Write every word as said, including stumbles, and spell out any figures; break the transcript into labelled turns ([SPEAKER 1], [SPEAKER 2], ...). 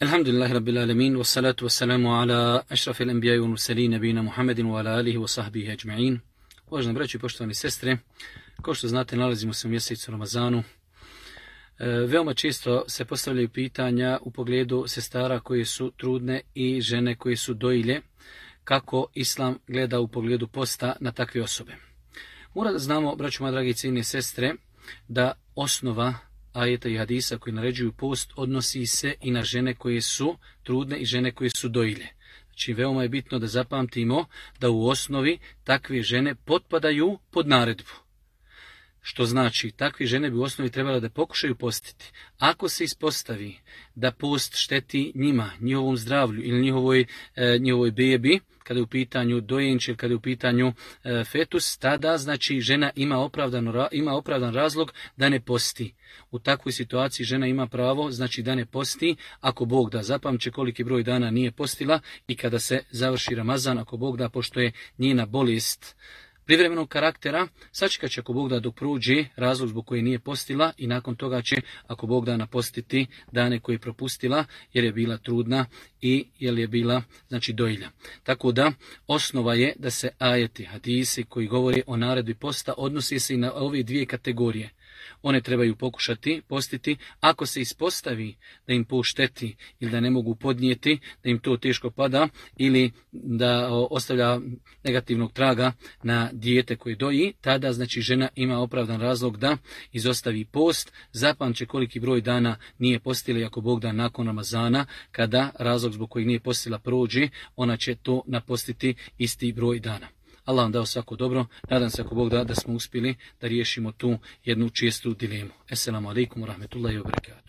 [SPEAKER 1] Alhamdulillahi rabbil alamin, wassalatu wassalamu ala ašrafil anbiya'i wal mursalin nabina Muhammedin wa ala alihi wa sahbihi ajma'in. Uvaženi braći i poštovani sestre, kao što znate, nalazimo se u mjesecu Ramazanu. E, veoma često se postavljaju pitanja u pogledu sestara koje su trudne i žene koje su dojilje, kako Islam gleda u pogledu posta na takve osobe. Mora da znamo, braćo moja dragi i cijenine sestre, da osnova ajeta i hadisa koji naređuju post odnosi se i na žene koje su trudne i žene koje su dojilje. Znači, veoma je bitno da zapamtimo da u osnovi takve žene potpadaju pod naredbu. Što znači, takve žene bi u osnovi trebala da pokušaju postiti. Ako se ispostavi da post šteti njima, njihovom zdravlju ili njihovoj, e, njihovoj bebi, kada je u pitanju dojenče ili kada je u pitanju e, fetus, tada znači žena ima, opravdano, ima opravdan razlog da ne posti. U takvoj situaciji žena ima pravo znači da ne posti, ako Bog da. Zapamće koliki broj dana nije postila i kada se završi Ramazan, ako Bog da, pošto je njena bolest privremenog karaktera, sačekat će ako Bog da dok prođe razlog zbog koje nije postila i nakon toga će ako Bog da napostiti dane koje je propustila jer je bila trudna i jer je bila znači dojilja. Tako da osnova je da se ajeti, hadisi koji govore o naredbi posta odnosi se i na ove dvije kategorije. One trebaju pokušati postiti, ako se ispostavi da im post šteti ili da ne mogu podnijeti, da im to teško pada ili da ostavlja negativnog traga na dijete koje doji, tada znači žena ima opravdan razlog da izostavi post. Zapamće koliki broj dana nije postila i ako Bog da nakon Ramazana, kada razlog zbog kojeg nije postila prođe, ona će to napostiti isti broj dana. Allah vam dao svako dobro. Nadam se ako Bog da da smo uspjeli da riješimo tu jednu čistu dilemu. Esselamu alaikum wa rahmetullahi wa barakatuh.